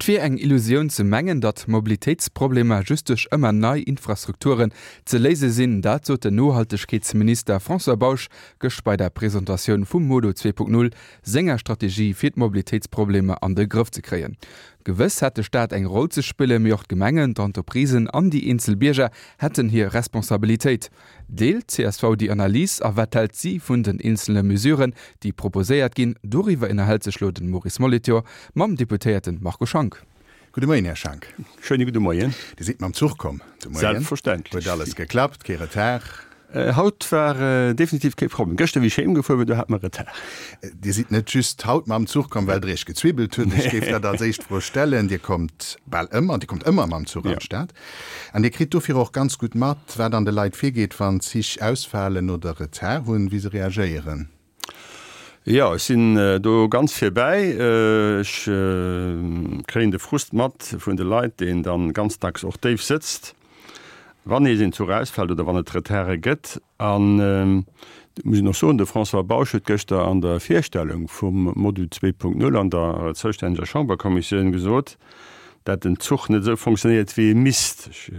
Et wier eng Illusioun ze mengen, datt Mobilitéitsproblemer just duerch ëmmer nei Infrastrukturen ze léise sinn. Dat sot den Nohaltegkeetsminister François Bausch gëscht bei der Presentatioun vum Modo 2.0, senger Strategie fir d'Mobilitéitsproblemer an de Grëff ze kréien. Gewëss hätt de Staat eng Roll ze spillen, mee och d'Gemengen, d'Entreprisen an déi eenzel Bierger hätten hir Responsabilitéit. Deelt d'CSV déi Analys a wat hält si vun den eenzele Mesuren, déi proposéiert ginn? Doriwwer ënnerhält sech lo den Maurice Molitor mam Deputéierten Marco Schank. Gudde Moien, Här Schank. Schéine gudde Moien. Dir sidd mam Zuch komm de Moien? Selbstverständlech. Huet alles geklappt, kee Retard? Haut war definitiv kee Problem. Gëschter wéi ech heem gefuer war, do hat mer Retard. Dir sidd net just haut mam Zuch komm, well Der Iech gezwibbelt hutt. Ech géif dat als éischt Fro stellen. Dir kommt bal ëmmer, Dir kommt ëmmer mam Zuch an d'Stad. An Dir kritt dofir och ganz gutt mat, wat an de Leit virgeet, wann d'Zich ausfalen oder Retard hunn, wéi se reagéieren. Jo, ech sinn do ganz virbäi. Ech kréien de Frust mat vun de Leit, deen dann ganz dacks och déif sëtzt, wann nees een Zuch ausfält oder wann et Retarde gëtt. An et muss een och soen, de François Bausch huet gëschter an der Virstellung vum Modu 2.0 an der zoustänneger Chamberkommissioun gesot, dat den Zuch net esou fonctionnéiert, wéi e misst. Ech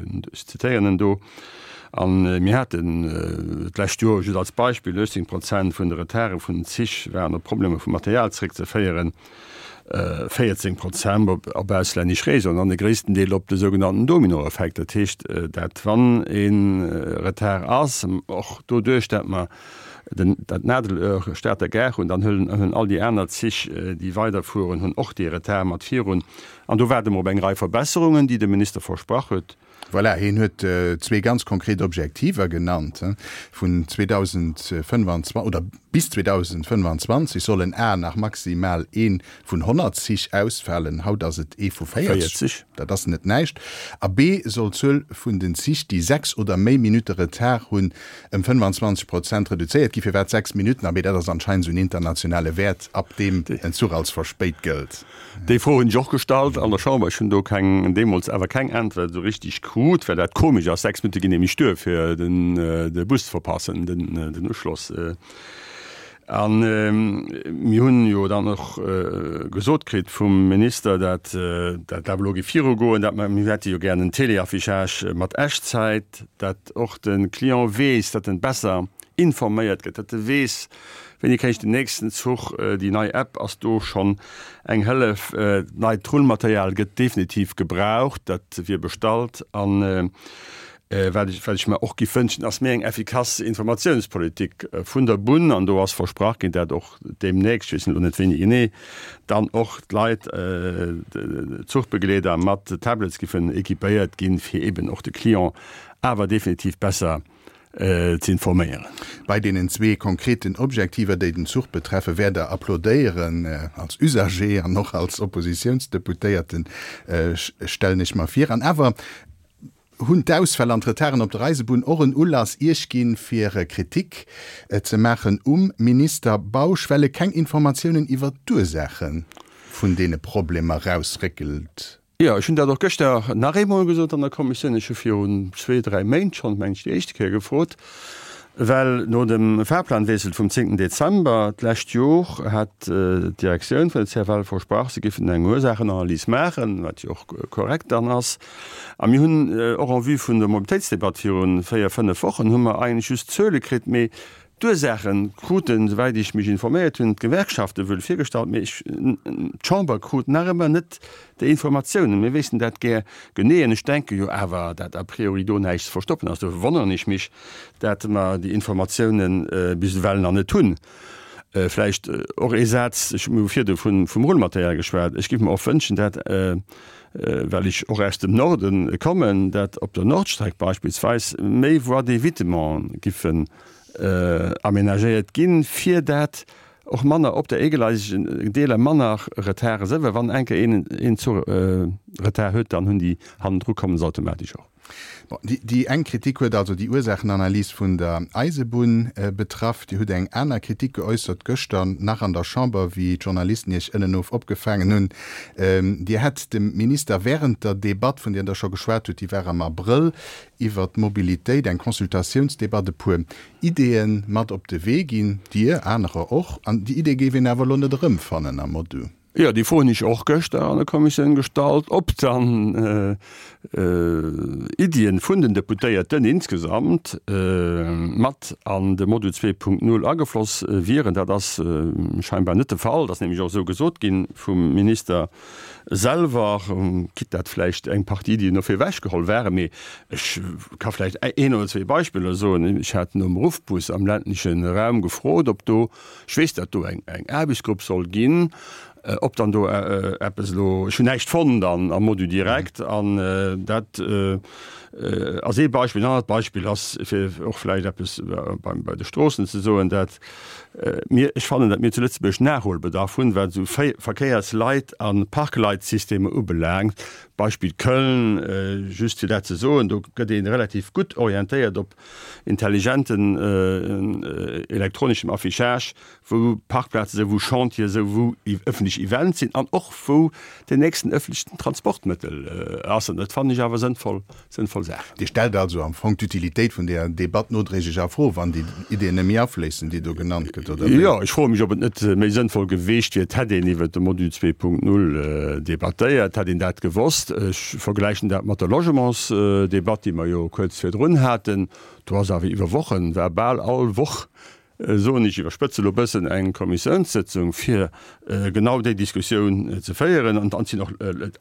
zitéieren en do. A mir haten d'lescht Joer, just als Beispill, 18 Prozent vun de Retarde vun den Zich waren op Problemer vum Material zeréckzeféieren, 14 Prozent op auslännesch Réseauen an de gréissten Deel op de sougenannten Dominoeffekt. Dat heescht, dat wann e Retard ass, och doduerch, dat mer dat Nadelöhr Stater Gare hunn, dann hunn all déi aner Zich, déi weiderfueren, hunn och dee Retard mat virun. An do waarde mer op eng Rei Verbesserungen, déi de Minister versprach huet. Voilà, hien huet zwee ganz konkret Objektiver genannt, Vun 2025 oder bis 2025 sollen a nach maximal ee vun 100 Zich ausfalen, haut ass et ee vu 40, dat ass net näischt, a b soll d'Zuel vun den Zich, déi 6 oder méi Minutte Retard hunn, ëm 25 Prozent reduzéiert ginn. Firwat 6 Minutten? Abee, dat ass anscheinend esou en internationale Wäert, ab deem en Zuch als verspéit gëllt. Déi Fro hunn ech och gestallt an der Chamber. Ech hunn do keng, deemools awer keng Äntwert esou richtig krut, well dat komesch ass. 6 Minutte ginn nämlech duer, fir den de Bus ze verpassen, den den Uschloss. A mir hunn jo dann och gesot kritt vum Minister, dat dat awer elo géif virugoen, dat mer, mir hätte jo gären en Téléaffichage mat Echtzäit, dat och de Client weess, datt en besser informéiert gëtt, datt e weess, Wéini kréien ech den nächsten Zuch? Déi nei App ass do schonn eng Hëllef. Neit Rullmaterial gëtt definitiv gebraucht, dat wier bestallt. An wat ech wat ech mer och giff wënschen, ass méi eng effikass Informatiounspolitik vun der Bunn. An do ass versprach ginn, dat och deemnächst, ech weess elo net wéini genee, dann och d'Leit, d'Zuchbegleeder mat Tablets giffen équipéiert ginn, fir eben och de Client awer definitiv besser ze informéieren. Bei deenen zwee konkreten Objektiver, déi den Zuch betreffen, wäert Der applaudéieren, als Usager an och als Oppositiounsdeputéierten, stellen ech mer vir. An awer hunn d'Ausfäll an d'Retarden op der Eisebunn och en Ulass Iech ginn, fir Kritik ze maachen um Minister Bausch, well e keng Informatiounen iwwert d'Ursaache vun deene Problemer rausréckelt. Jo, ech hunn dat och gëschter nach eemol gesot an der Kommissioun. Ech hu virun zwee, dräi Méint schonn, meng ech, déi éischte Kéier gefrot, well no dem Fahrplanwiessel vum zéngten Dezember d'lescht Jor hat d'Direktioun vun der CFL versprach, se géifen eng Ursaachenanalys maachen, wat jo och korrekt dann ass. A mir hunn och en vue vun der Mobilitéitsdebatt viru véier, fënnef Wochen hu mer eigentlech just Zuele kritt, mee D'Ursaache kruten, souwäit ech mech informéiert hunn, d'Gewerkschafte wuel virgestallt, mee ech, d'Chamber krut nach ëmmer net déi Informatiounen. Mir wéissten dat gär genee an ech denke jo awer, dat a priori do näischt ze verstoppen ass. Dofir wonneren ech mech, dat mer déi Informatiounen bis ewell nach net hunn. Vläicht och ee Saz, ech hu virdu vum Rullmaterial geschwat, ech géif mer och wënschen, dat, well ech och aus dem Norde kommen, dat op der Nordstreck beispillsweis méi Voies d'évitement giffen amenagéiert ginn, fir dat och manner op der eegeleisegen Deeler manner Retarde sinn, well wann eng Kéier een een Zuch Retard huet, dann hunn déi hannendru kommen se automatesch och. Bon, déi eng Kritik huet also déi Ursaachenanalys vun der Eisebunn betraff. Dir hutt eng aner Kritik geäussert gëschter nach an der Chamber, wéi d'Journalisten Iech ënnenof opgefaangen hunn. Dir hätt dem Minister während der Debatt, vun där Der scho geschwat hutt, déi war am Abrëll, iwwer d'Mobilitéit, eng Consultatiounsdebatt, e puer Ideeë mat op de Wee ginn, Dir, anerer och, an déi Idee géif een awer elo net erëmfannen am Modu. Jo, déi Fro hunn ech och gëschter an der Kommissioun gestallt, ob dann Iddien vun den Deputéierten insgesamt mat an de Module 2.0 agefloss wieren. Dat ass scheinbar net de Fall. Dat ass nämlech och esou gesot gi vum Minister selwer, quitte dat vläicht eng Partie Iddien dofir ewechgeholl waren. Mee ech ka vläicht een oder zwee Beispiller soen. Ech hat nom Ruffbus am ländleche Raum gefrot, ob do Ech weess, datt do eng Aarbechtsgrupp soll ginn. Ob dann do eppes elo, ech hunn näischt fonnt an am Module direkt. An dat ass ee Beispill. En anert Beispill ass, fir och vläicht eppes beim, bei de Stroossen ze soen, dat mir, ech fannen, dat mir zu Lëtzebuerg Nachholbedarf hunn, wat esou Verkéiersleit a Parkleitsystemer ubelaangt. Beispill Köln, just fir dat ze soen, do gëtt ee relativ gutt orientéiert op intelligenten elektroneschem Affichage, wou Parkplaze sou, wou Chantiere sou, wou ëffentlech Events sinn an och wou den nächsten ëffentlechen Transportmëttel ass. An dat fannen ech awer sënnvoll, sënnvoll Saachen. Dir stellt also am Fong d'Utilitéit vun där Debatt nodréiglech a Fro, wann déi Ideeën net méi afléissen, déi do genannt gëtt, oder wéi? Jo, ech froe mech, ob et net méi sënnvoll geweecht wier, et hätt een iwwert de Module 2.0 debattéiert, hätt een dat gewosst. Ech vergläichen dat mat der Logementsdebatt, déi mer jo kuerz virdrun haten. Do ass awer iwwer Wochen, war bal all Woch, soen ech, iwwerspëtze elo e bëssen, eng Kommissiounssëtzung, fir genau déi Diskussioun ze féieren. An dann sinn och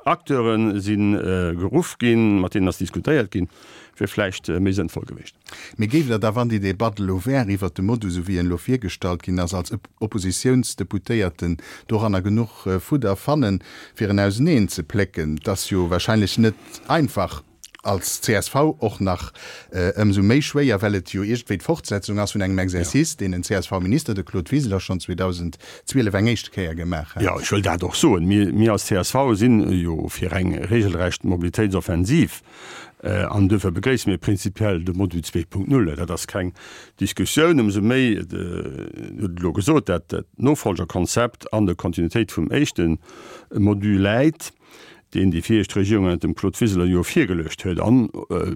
Acteure si geruff ginn, mat deenen ass diskutéiert ginn. Wier vläicht méi sënnvoll gewiescht. Mee géift Der da, wann déi Debatt elo wär iwwert de Modus, esou wéi en elo virgestallt ginn ass, als Oppositiounsdeputéierten doranner genuch Fudder fannen, fir en auseneen ze plécken? Et ass jo wahrscheinlech net einfach, als csv och nach ëmsou méi schwéier, well et jo iergendwéi d'Fortsetzung ass vun engem Exercice, deen en CSV-Minister, de Claude Wiseler, schonn 2012 eng éischte Kéier gemaach hat. Jo, ech wëll dat och soen. Mir als csv sinn jo fir eng regelrecht Mobilitéitsoffensiv. An duerfir begréisse mir prinzipiell de Module 2.0. Dat ass keng Diskussioun. Ëmsou méi, Dir hutt et elo gesot, dat d'Nofolgerkonzept an der Kontinuitéit vum éischte Module läit, deen déi viregt Regierung ënnert dem Claude Wiseler jo virgeluecht huet. An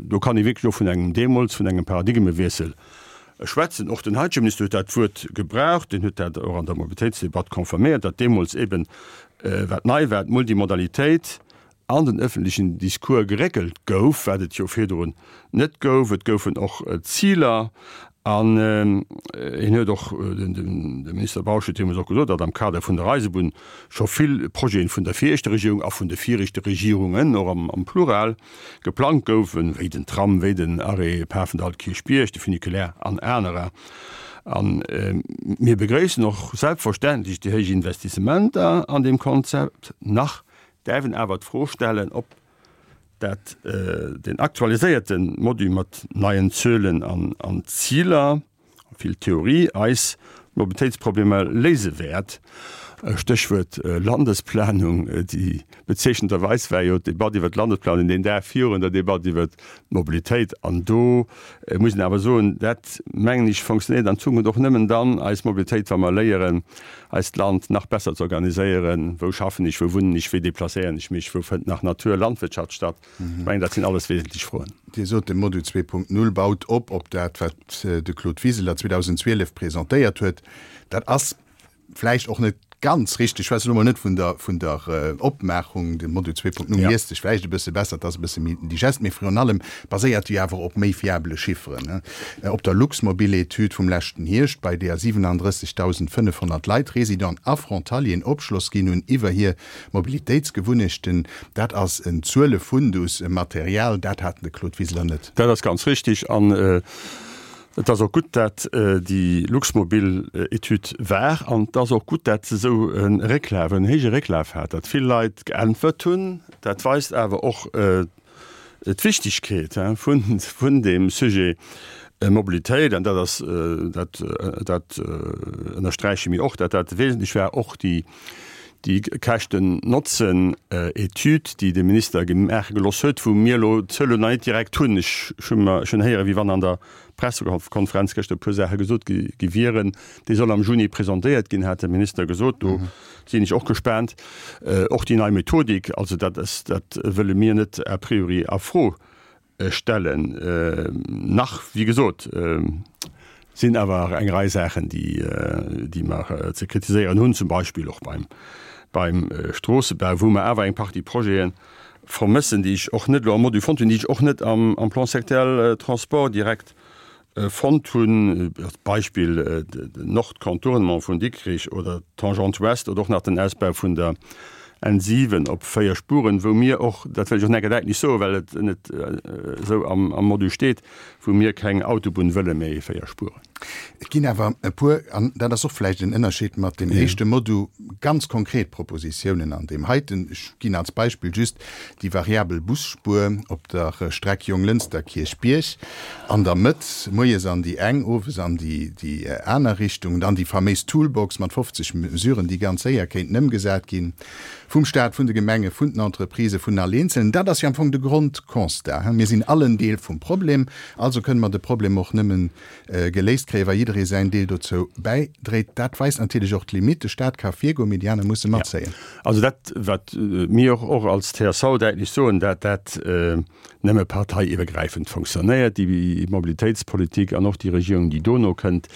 do kann ee wierklech och vun engem, deemools vun engem Paradigmewiessel schwätzen. Och den heitege Minister huet dat Wuert gebraucht. Deen huet dat och an der Mobilitéitsdebatt confirméiert, datt deemools eben, wat nei war, d'Multimodalitéit an den ëffentlechen Discours geréckelt gouf, wat et jo virdrun net gouf. Et goufen och Ziler an hien huet och, de Minister Bausch huet deemools och gesot, datt am Kader vun der Eisebunn scho vill Projete vun der viregter Regierung a vun de viregte Regierungen, och am Plural, geplangt goufen, wéi den Tram, wéi den Arrêt Pafendall-Kierchbierg, de Funiculaire an anerer. A mir begréissen och selbstverständlech déi héich Investissementer an deem Konzept nach Däerf een awer d'Fro stellen, ob dat deen aktualiséierte Module mat neien Zuelen an Ziler, vill Theorie, eis Mobilitéitsproblemer léise wäert. Stéchwuert Landesplanung, déi bezeechnenderweis war jo d'Debatt iwwert d'Landesplanung deen Dag virun der Debatt iwwert d'Mobilitéit. An do muss een awer soen, dat mengen ech fonctionnéiert an Zukunft och nëmmen dann, eis Mobilitéit, wa mer léieren, eist Land nach besser ze organiséieren, Wou schaffen ech, wou wunnen ech, wéi deplacéieren ech mech, wou fënnt nach Natur, Landwirtschaft statt? Ech mengen, dat sinn alles wesentlech Froen. Dir sot, de Module 2.0 baut op op dat, wat de Claude Wiseler 2012 presentéiert huet. Dat ass vläicht och net ganz richteg. Ech schwätzen elo mol net vun der, vun der Opmaachung. De Module 2.0 liest sech vläicht e bësse besser, et ass e bësse méi digest, mee virun allem baséiert e jo awer op méi fiabele Chifferen. Op der Luxmobil-Etüd vum leschten Hierscht, bei deeër 37.500 Leit, Résidenten a Frontalieren, Opschloss ginn hunn iwwer hir Mobilitéitsgewunnechten. Dat ass en Zuelefundus, e Material, dat hat de Claude Wiseler net. Dat ass ganz richtig. An et ass och gutt, dat déi Luxmobil-Etüd war. An et ass och gutt, dat se esou e Récklaf, en héije Récklaf hat, datt vill Leit geäntwert hunn. Dat weist awer och, d'Wichtigkeet vun deem Sujet Mobilitéit, an dat ass, dat, dat ënnersträiche mir och, datt dat wesentlech war, och déi, déi Käschten-Notzen-Etüd, déi de Minister maache gelooss huet, wou mir elo d'Zuelen nach net direkt hunn. Ech hu mer schonn héieren, wéi wann an der Pressekonferenz gëschter e puer Saache gesot gi wieren. Déi soll am Juni presentéiert ginn, hat de Minister gesot. Do sinn ech och gespaant. Och déi nei Methodik, also dat ass, dat wëlle mir net a priori a Fro stellen. Nach, wéi gesot, sinn awer eng Rei Saachen, déi, déi mer ze kritiséieren hunn, zum Beispill och beim. Beim Stroossebau, wou mer awer eng Partie Projete vermëssen, déi ech och net elo am Module fonnt hunn, déi ech och net am Plan sectoriel Transport direkt fonnt hunn, als Beispill den Nordcontournement vun Dikrich oder d'Tangente Ouest oder och nach den Ausbau vun der N7 op 4 Spuren, wou mir och, dat wëll ech och nach eng Kéier däitlech soen, well et net esou am Module steet, wou mir keng Autobunn wëlle mä 4 Spuren. Et ginn awer e puer, an dat ass och vläicht en Ënnerscheed mat deem éischte Modu, ganz konkret Propositiounen an deem heiten. Ech ginn als Beispill just déi variabel Busspuer op der Streck Jonglënster-Kierchbierg an der Mëtt, moies an déi eng, owes an déi aner Richtung. Dann déi faméis Toolbox mat 50 Mesuren, déi ganz séier kéinten ëmgesat ginn vum Staat, vun de Gemenge, vun den Entreprisë, vun all Eenzelnen. Dat ass jo am Fong de Grondconstat, Mir sinn all en Deel vum Problem, also kënne mer de Problem och nëmmen geléist kréien, wa jidderee säin Deel dozou bäidréit. Dat weist natierlech och d'Limitt. De Staat ka virgoen, mee déi aner musse matzéien. Also dat, wat mir och als csv däitlech soen, dat dat nëmme parteiiwwergräifend fonctionnéiert, déi Mobilitéitspolitik an och déi Regierung, déi dono kënnt,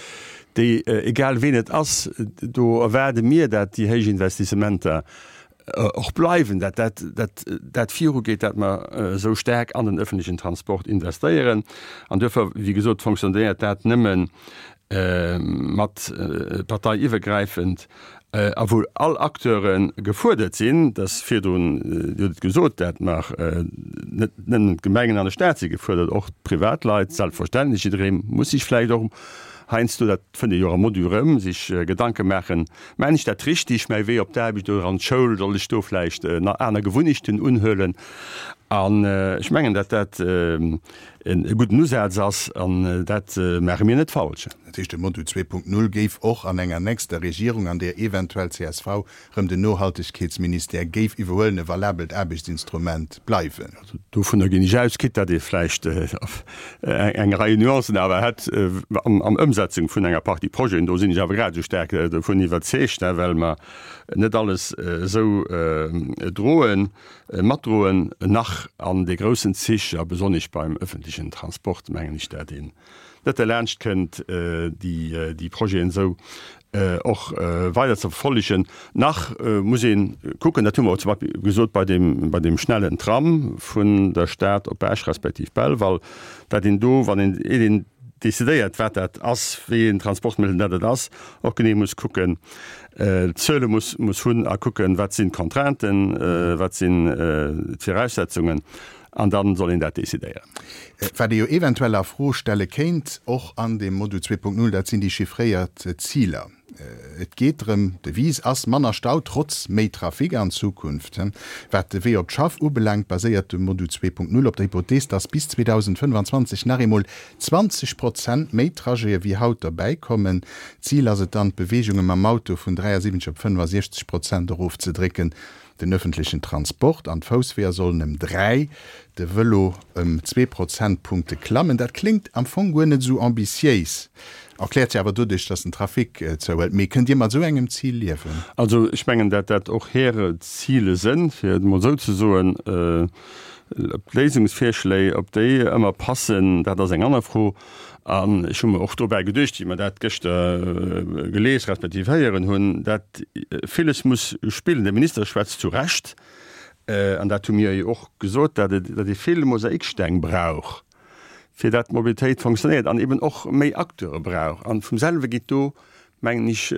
déi, egal ween et ass, do erwaarde mir, dat déi héich Investissementer och bleiwen, dat dat dat dat virugeet, dat mer esou staark an den öffentlichen Transport investéieren. An duerfir, wéi gesot, fonctionnéiert dat nëmme mat parteiiwwergräifend a wou all Acteure gefuerdert sinn, dass virdrun, Dir hutt et gesot, dat mer net nëmmen d'Gemengen an de Stat si gefuerdert, och d'Privatleit selbstverständlech, jidderee muss sech vläicht och heiansdo, dat fënnt ee jo och am Module erëm, sech Gedanke maachen, Maan ech dat richtig, mäi Wee op d'Aarbecht oder an d'Schoul, soll ech do vläicht nach aner Gewunnechten unhuelen? An ech mengen, datt dat e gudden Usaz ass, an dat maache mir net falsch. Dat heescht, de Module 2.0 géif och an enger nächster Regierung, an där eventuell csv rëm den Nohaltegkeetsministère géif iwwerhuelen, e valabelt Aarbechtsinstrument bleiwen. Also dovunner ginn ech aus, quitte datt ee vläicht eng Rei Nuancen awer hätt am Ëmsetzung vun enger Partie Projeten. Do sinn ech awer grad esou staark dovun iwwerzeegt, well mer net alles esou droen, matdroen, nach an de groussen Zich a besonnesch beim öffentlichen Transport, mengen ech, dat een net derlaanscht kënnt, déi Projeten esou och weider ze verfollegen. Nach muss ee kucken, dat hu mer och zum Beispill gesot bei deem, bei deem schnellen Tram vun der Stad op Esch respektiv Belval, dat een do, wann een, eet een decidéiert, wat dat ass, wéi een Transportmëttel dat et ass, och genee muss kucken, d'Zuele muss, muss hunn a kucken, wat sinn d'Contrainten, wat sinn d'Viraussetzungen. An dann soll een dat decidéieren. Wat ee jo eventuell a Fro stelle kéint, och an deem Modul 2.0, dat sinn déi chiffréiert Ziler. Et geet drëm, d'Devise ass, manner Stau trotz méi Trafic an Zukunft. Wat de Wee op d'Schaff ubelaangt, baséiert de Modul 2.0 op der Hypothees, dass bis 2025 nach eemol 20 Prozent méi Trajete wéi haut derbäikommen. D'Zil ass et dann, d'Beweegunge mam Auto vun 73 op 65 Prozent erofzedrécken. Den ëffentlechen Transport an d'Foussweeër sollen ëm 3, de Vëlo ëm zwee Prozentpunkte klammen. Dat kléngt am Fong guer net esou ambitiéis, erkläert sech awer doduerch, datt den Trafic zouhëlt. Mee kënnt Dir mat esou engem Zil liewen? Also ech mengen, dat dat och hire Zile sënn, fir et emol esou ze soen. Ob d'Léisungsvirschléi, ob déi ëmmer passen, dat ass eng aner Fro. An ech hu mer och dobäi geduecht, wéi mer dat gëschter gelies respektiv héieren hunn, dat villes muss spillen. De Minister schwätzt zu Recht, an dat hu mir jo och gesot, dat et, dat ee vill Mosaiksteng brauch, fir dat d'Mobilitéit fonctionnéiert an eben och méi Acteure brauch. An vum selwe geet do, mengen ech,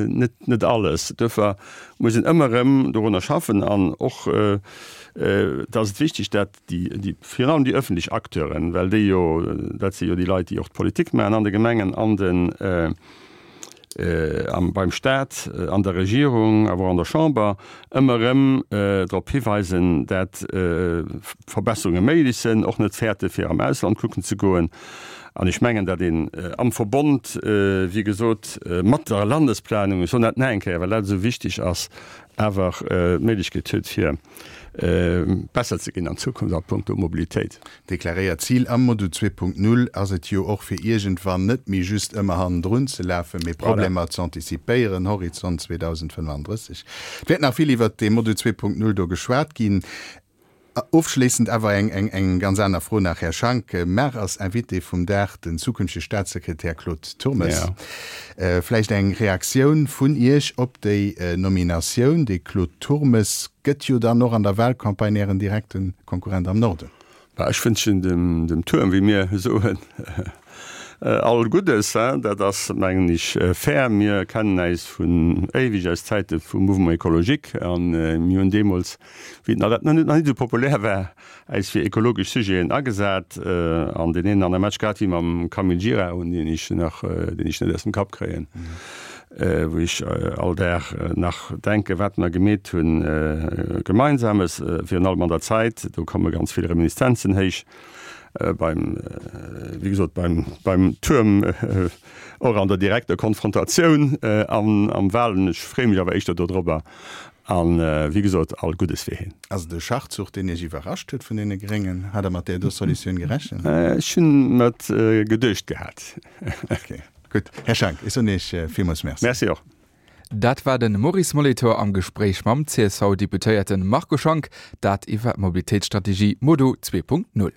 net, net alles. Duerfir muss een ëmmer erëm dorunner schaffen an och, et ass et wichteg, dat déi, déi, virun allem déi öffentlech Acteuren, well déi jo, dat si jo déi Leit, déi och d'Politik maachen an de Gemengen, an den, am, beim Stat, an der Regierung, awer och an der Chamber, ëmmer erëm drop hiweisen, dat Verbesserunge méiglech sinn, och net fäerte fir am Ausland kucken ze goen. An ech mengen, dat een am Verbond, wéi gesot, mat der Landesplanung, ech soen dat nach eng Kéier, well dat esou wichteg ass, awer d'Méiglechkeet huet, fir besser ze ginn an Zukunft a puncto Mobilitéit. Deklaréiert Zil am Modu 2.0 ass et jo och, fir iergendwann net méi just ëmmer hannendrun ze lafen, mee Problemer ze antizipéieren, Horizont 2035. Et wäert nach vill iwwert dee Modu 2.0 do geschwat ginn. Ofschléissend awer eng ganz aner Fro nach, Här Schank. Mar ass Invité vum Dag den zukünftege Staatssekretär Claude Turmes. Vläicht eng Reaktioun vun Iech op déi Nominatioun? De Claude Turmes gëtt jo dann och an der Wahlcampagne Ären direkte Konkurrent am Norden. Bah, ech wënschen dem Tuerm, wéi mir soen, all Guddes. Dat ass, mengen ech, fair. Mir kennen äis vun éiweg, aus Zäite vum Mouvement écologique. A mir hunn deemools, wéi et nach net esou populär war, äis fir ekologesch Sujeten agesat. An deen een oder anere Match, grad wéi mam Camille Gira, un deen ech nach, deen ech net aus dem Kapp kréien, wou ech all Dag nach denken, wat mer gemeet hunn Gemeinsames, virun allem an der Zäit, do komme ganz vill Reminiszenzen héich beim, wéi gesot, beim, beim Tuerm, och an der direkter Konfrontatioun an am Wahlen. Ech freeë mech awer éischter dodrobber an, wéi gesot, all Guddes fir hien. Ass et e Schachzuch, deen Iech iwwerrascht huet vun deene Gréngen? Hat Der mat där do Solutioun gerechent? Ech hunn mer et geduecht gehat. Okay. Gutt, Här Schank, ech soen Iech villmools Merci. Merci och. Dat war de Maurice Molitor am Gespréich mam CSV-Deputéierte Marco Schank, dat iwwer d'Mobilitéitsstrategie Modo 2.0.